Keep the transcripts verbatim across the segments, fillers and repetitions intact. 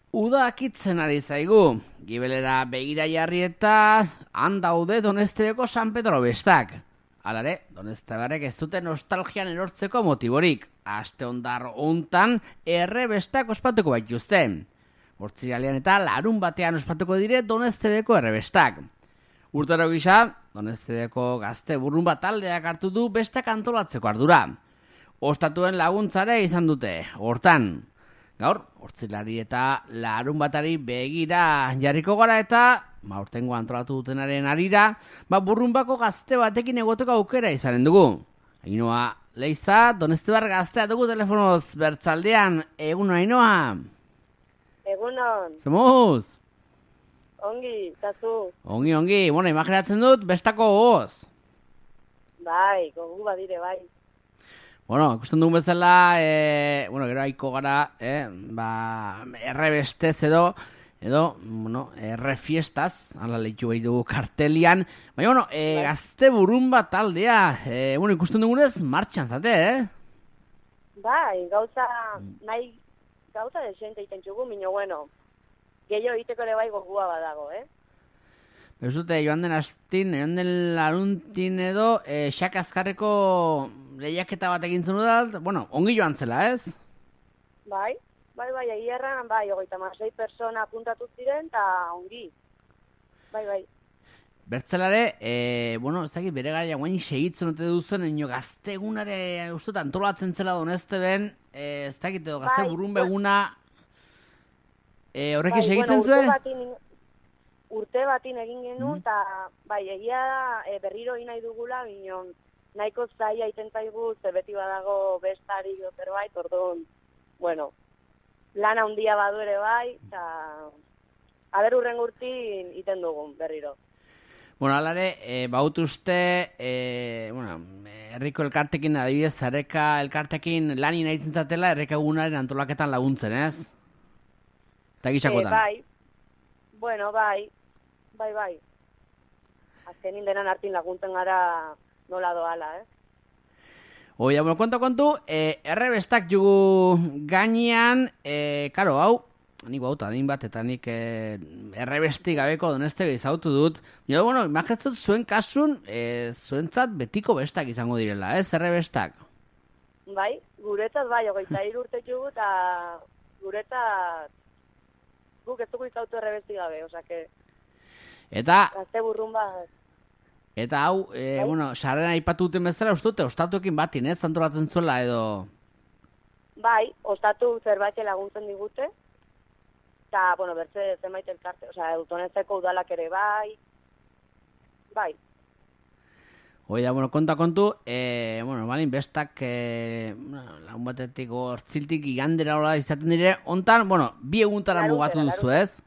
Uda akitzen ari zaigu, gibelera begira jarri eta han daude Doneztebeko San Pedro bestak. Halare, Doneztebarrek ez dute nostalgian erortzeko motiborik. Aste ondar hontan erre bestak ospatuko baituzte. Hortziralean eta larun batean ospatuko dire Doneztebeko erre bestak. Urtero gisa, Doneztebeko gazte burrunba taldeak hartu du bestak antolatzeko ardura. Ostatuen laguntzare izan dute, hortan. Gaur, hortzilari eta larun batari begira jarriko gara eta, ba, urtengo antolatu dutenaren arira, ba, burrunbako gazte batekin egoteko aukera izanen dugu. Ainoa, Leiza, Doneztebar gaztea dugu telefonoz bertzaldean, egun Ainoa. Egunon. Zemuz? Ongi, tazu. Ongi, ongi, bueno, imaginatzen dut, bestako gogoz. Bai, gogu badire, bai. Bueno, ikusten dugun bezala, e, bueno, gero haiko gara, eh, ba, erre bestez edo, edo, bueno, erre fiestaz, ala lehitu behi dugu kartelian, baina, bueno, e, gazte burrunba taldea, e, bueno, ikusten dugunez, martxan zate, eh? Bai, gauza, nahi, gauza desente iten txugu, minio, bueno, gehiago egiteko ere bai gogua badago, eh? Bezute, joan den astin, joan den laruntin edo, e, xak azkarreko lehiaketa bat egin zen udalt, bueno, ongi joan zela, ez? Bai, bai, bai, egierran, bai, ogeita masei persona apuntatu ziren, eta ongi. Bai, bai. Bertzelare, e, bueno, ez dakit bere gara guain segitzen ote duzen, ino gaztegunare uste antolatzen zela Donezteben, e, ez dakit edo gazte bai, burunbeguna, e, horrekin bai, segitzen bueno, zuen? urte batin, urte batin egin genuen, eta mm. bai, egia da, e, berriro nahi dugula, binon, nahiko zaila itentaigu, ze beti badago bestari zerbait, orduan, bueno, lana handia badu ere bai, eta aber urren urtin iten dugun berriro. Bueno, alare, e, baut uste, e, bueno, herriko elkartekin, adibidez, zareka elkartekin lani nahi zintzatela, erreka egunaren antolaketan laguntzen, ez? Eta gixakotan. E, bai, bueno, bai, bai, bai. Azkenin denan hartin laguntzen gara nola doala, eh? Oia, bueno, konto, kontu, e, errebestak jugu gainean, e, karo, hau, nik bauta adin bat, eta nik e, errebesti gabeko Doneztebe izautu dut. Jo, bueno, imagetzat zuen kasun, e, zuentzat betiko bestak izango direla, ez, errebestak? Bai, guretzat bai, hogeita hiru urte jugu, eta guretzat guk ez dugu izautu errebesti gabe, osake... Eta... Gazte burrun bat... Eta hau, e, bueno, sarrera aipatu duten bezala, uste dute, ostatuekin batin, ez, antolatzen zuela edo... Bai, ostatu zerbait laguntzen digute, eta, bueno, bertze zenbait elkarte, osea, Donezteko udalak ere bai, bai. Oida, bueno, konta kontu, e, bueno, balin, bestak, e, lagun batetik hortziltik igandera hola izaten dire, ontan, bueno, bi eguntara mugatu duzu, ez?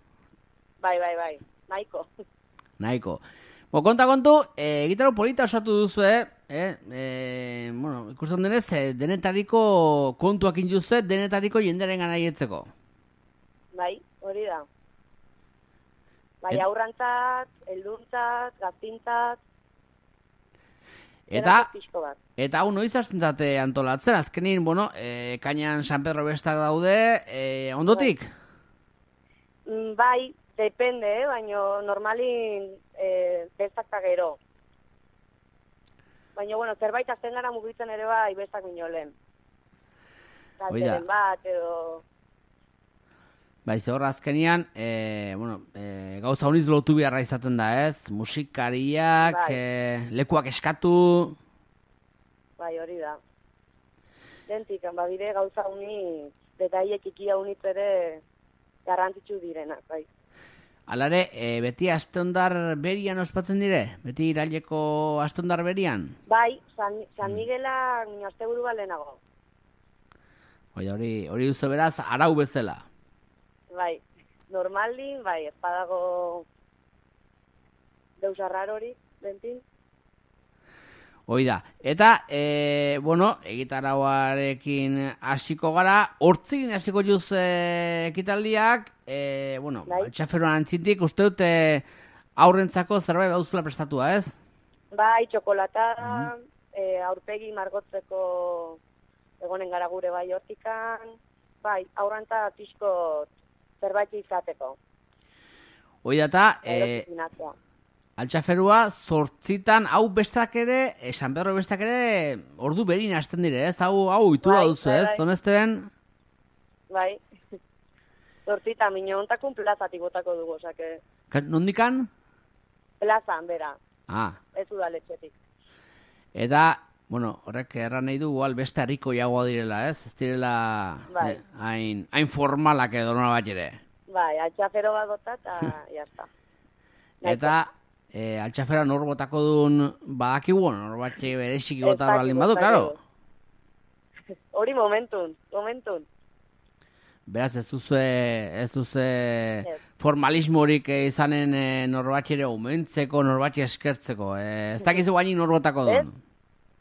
Bai, bai, bai, nahiko. Nahiko. Bo, konta kontu, e, gitaro polita osatu duzu, eh? Eh, e, bueno, ikusten denez, e, denetariko kontuak induzue, denetariko jenderen gana hietzeko. Bai, hori da. Bai, Et... aurrantzat, elduntzat, gaztintzat, eta, eta hau noiz hasten zate antolatzen, azkenin, bueno, e, kainan San Pedro bestak daude, e, ondotik? Bai, bai, depende, eh? Baina normalin e, bestak eta gero. Baina, bueno, zerbait azten gara mugitzen ere bai bestak minolen. Zalteren bat, edo... Bai, zehor azkenian, e, bueno, e, gauza honiz lotu beharra izaten da, ez? Musikariak, bai. e, lekuak eskatu... Bai, hori da. Dentik, badire gauza honi, detaiek ikia honitz ere garrantzitsu direnak, bai. Alare, e, beti astondar berian ospatzen dire? Beti iraileko astondar berian? Bai, San, San Miguela mm. asteburu balenago. Bai, hori, hori duzu beraz, arau bezala. Bai, normalin, bai, ez badago deus arrarori, bentin. Hoi da. Eta, e, bueno, egitarauarekin hasiko gara, hortzegin hasiko juz e, ekitaldiak, e, bueno, bai. Txaferoan antzintik, uste dute aurrentzako zerbait dauzula prestatua, ez? Bai, txokolata, mm-hmm. e, aurpegi margotzeko egonen gara gure bai hortikan, bai, aurrantza pixko zerbait izateko. Hoi data, Gero e, piscinatzea. altxaferua zortzitan, hau bestak ere, e, San Pedro bestak ere, ordu berin hasten dire, ez? Hau, hau itura Bai, duzu, bai, ez? bai. Donezteben, Bai. Zortzita, mino ontakun plazatik botako dugu, osake. ka- nondikan? Plazan, bera, Ah, ez udaletxetik. eta, bueno, horrek erran nahi du, igual beste harriko jagoa direla, ez? Ez direla Bai. eh, hain, hain formalak edo nola bat ere. Bai, altxafero bat bota eta jazta. Eta, e, altxafera nor botako duen badakigu, nor batxe bereziki bota Ez baldin dakigu, badu, ez klaro. dakigu. Hori momentun, momentun. Beraz, ez duze, ez duze Ez. formalismorik eh, izanen e, norbatxe ere umentzeko, norbatxe eskertzeko. E, ez dakizu gainik nor botako Ez? duen.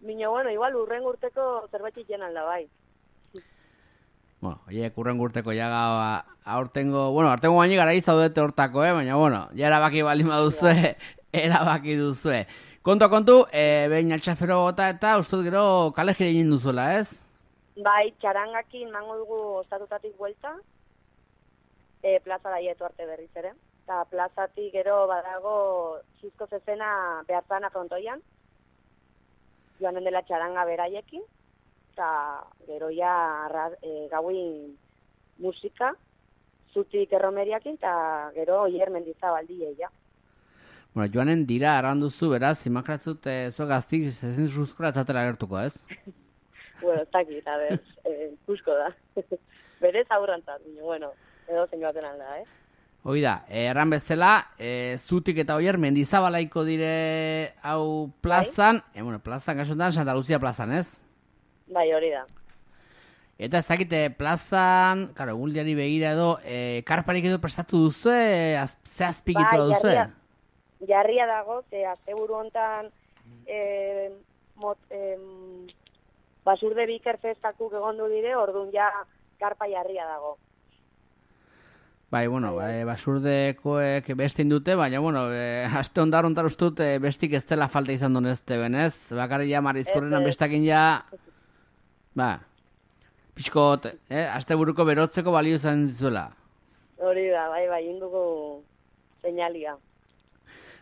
Mino, bueno, igual urren urteko zerbait jenan da, bai. Bueno, oie, kurren gurteko ja ba, aurtengo, bueno, aurtengo baini gara izaudete hortako, eh? Baina, bueno, ja erabaki baldin baduzue, erabaki duzue. Kontu, kontu, e, behin altxafero bota eta ustut gero kale jire egin duzuela, ez? Bai, txarangakin mango dugu ostatutatik buelta, e, plaza daietu arte berriz ere. Eta plazatik gero badago zizko zezena behartzana frontoian, joanen dela txaranga beraiekin, eta gero ja arra- e, gauin musika, zutik erromeriakin, eta gero oier mendizabaldi ja. Bueno, joanen dira arranduzu, beraz, imakratzut e, zuek gaztik ezin zuzkura etzatera gertuko, ez? Bueno, ez dakit, a ber, eh, ikusko da. Berez aurrantzat, baina, bueno, edo zein baten alda, eh? Hoi da, e, erran bezala, e, zutik eta oier mendizabalaiko dire hau plazan, e, bueno, plazan, kasuntan, Santa Lucia plazan, ez? Bai, hori da. Eta ez dakite plazan, karo, egundiari begira edo, e, karparik edo prestatu duzue, az, ze azpikitu Bai, duzue? jarria, jarria dago, ze asteburu hontan eh, mot, eh, basurde biker festakuk egondu dire, orduan ja karpa jarria dago. Bai, bueno, bai, basurdekoek beste dute, baina, bueno, e, aste ondar ontar ustut e, bestik ez dela falta izan duen ez benez, bakarri ja marizkorrenan Ez, ez. bestakin ja, ba, pixkot, eh, aste buruko berotzeko balio izan zizuela. Hori da, bai, bai, indugu seinalia.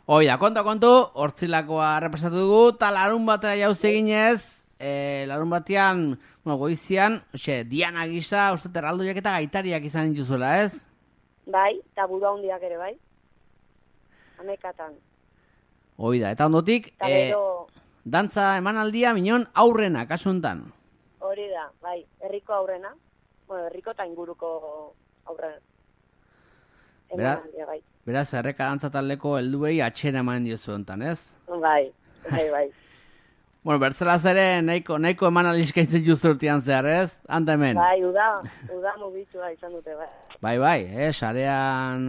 Hoi da, kontu, kontu, hortzilakoa represatu dugu, eta larun batera jauz eginez, e, larun batean, bueno, goizian, oxe, Diana gisa, uste erraldoiak eta gaitariak izan dituzuela, ez? Bai, eta burua hundiak ere, bai. Amekatan. Hoi da, eta ondotik, Eta e, gero, dantza emanaldia minon aurrena, kasuntan. hori da, bai, herriko aurrena. Bueno, herriko eta inguruko aurrena. Bera- Emanaldia, bai. Beraz, erreka dantza taldeko helduei atxera eman diozu hontan, ez? Bai, bai, bai. Bueno, bertzelaz ere nahiko, nahiko eman aliskaiten juzu urtean zehar, ez? Hanta hemen. Bai, uda, uda mugitua izan dute, bai. Bai, bai, eh, sarean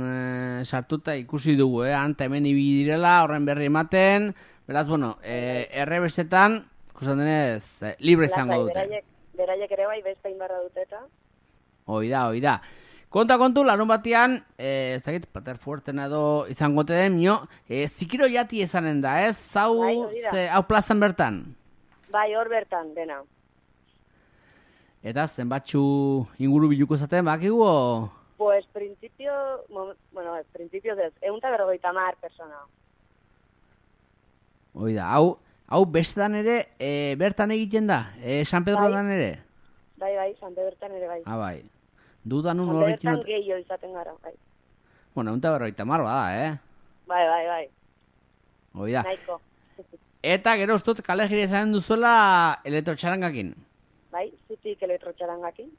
eh, sartuta ikusi dugu, eh, hanta hemen ibili direla, horren berri ematen, beraz, bueno, eh, errebestetan, ikusten denez, eh, libre izango Lasai, dute. Beraiek, beraiek ere bai, beste inbarra dute eta. Hoi da, hoi da. Konta kontu, larun batean, eh, ez dakit, pater fuertena edo izango te den, mio, eh, zikiro jati ezanen da, ez? Zau, Bai, hori da. ze, hau plazan bertan. Bai, hor bertan, dena. Eta zenbatxu inguru biluko zaten, bakigu, o? Pues, principio, mo- bueno, ez, principio ez, egun eta berrogeita mar persona. Hoi da, hau, hau bestetan ere, e, bertan egiten da, e, San Pedrotan Bai. ere. Bai, bai, Sante bertan ere bai. Ah, bai. Dudan un Sante horrekin... bertan gehiago izaten gara, bai. Bueno, egun eta berroita mar bada, eh? Bai, bai, bai, Hoi da. nahiko. Eta gero ustut kale jire izan duzuela elektrotxarangakin. Bai, zutik elektrotxarangakin.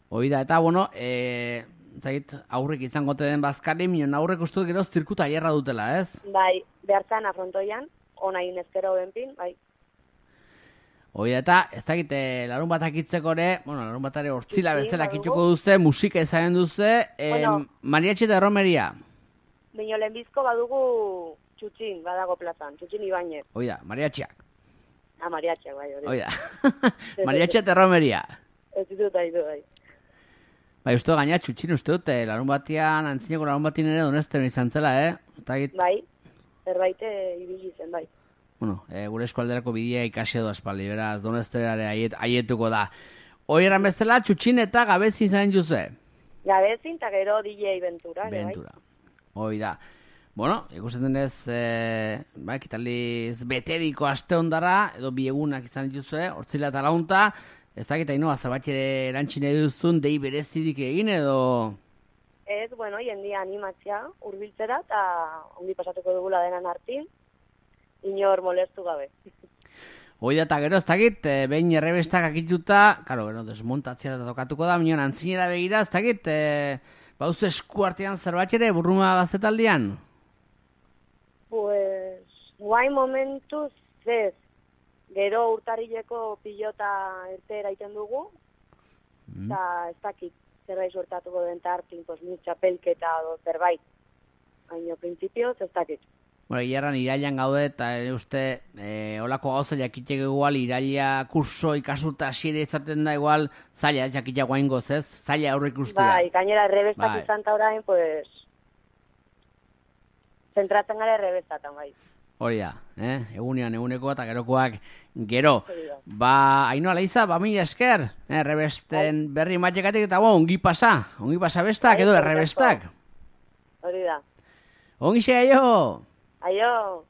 Hoi da, eta bueno, e, zait, aurrek izango te den bazkari, minon aurrek ustut gero zirkuta hierra dutela, ez? Bai, behartzan afrontoian, ona inezkero benpin, bai. Hoi da, eta ez dakit, e, larun bat akitzeko ere, bueno, larun bat ere hortzila Sí, bezala badugu. akituko duze, musika izanen duze, e, Bueno. mariatxe eta erromeria. Bino lehenbizko badugu txutxin, badago plazan, txutxin Ibañez. Hoi da, mariatxeak. Ah, mariatxak, bai, hori. Hoi da. mariatxe eta erromeria. Ez ditut ditu, bai. Bai, uste gaina txutxin uste dut, eh, larun batean, antzineko larun batin ere donezten izan zela, eh? Eta git, Bai, zerbait eh, ibili zen, bai. bueno, eh, gure eskualderako bidea ikasi edo aspaldi, beraz, doneztenare aiet, aietuko da. Hoi eran bezala, txutxin eta gabezi izan juzue. Gabezin, eta gero D J Ventura. ere bai. Ventura. Hoi da. Bueno, ikusten denez, e, ba, ekitaldiz beteriko aste ondara, edo bi egunak izan dituzue, hortzila eta launta, ez dakit hainoa, zabat ere erantxine duzun, dei berezirik egin edo... Ez, bueno, jendia animatzea, hurbiltzera, eta ongi pasatuko dugula denan hartin, inor molestu gabe. Hoi da, eta gero, ez dakit, e, behin errebestak akituta, karo, gero, desmontatzea eta tokatuko da, minon antzinera begira, ez dakit, e, bauzu esku artean zerbait ere, burruma gaztetaldian? Pues, guai momentuz, ez, gero urtarrileko pilota erte eraiten dugu, eta mm. ez dakit, zerbait sortatuko den tartin, pues, mi txapelketa edo zerbait. Baina, prinsipioz, ez dakit. Bueno, iarran irailan gaude, eta ere uste, e, olako gauza jakitek igual, iraila kurso ikasulta hasiera izaten da igual, zaila, jakitea guaingoz, ez? Zaila aurre ikustea. Bai, gainera errebestak bai. izan ta orain, pues, zentratzen gara errebestatan, bai. Hori da, eh? Egunean, eguneko eta gerokoak gero. Ba, Ainhoa Leiza, ba, mila esker, eh? Errebesten berri matxekatik eta bo, ongi pasa, ongi pasa bestak edo errebestak. Hori da. Ongi xe, aio! Aio!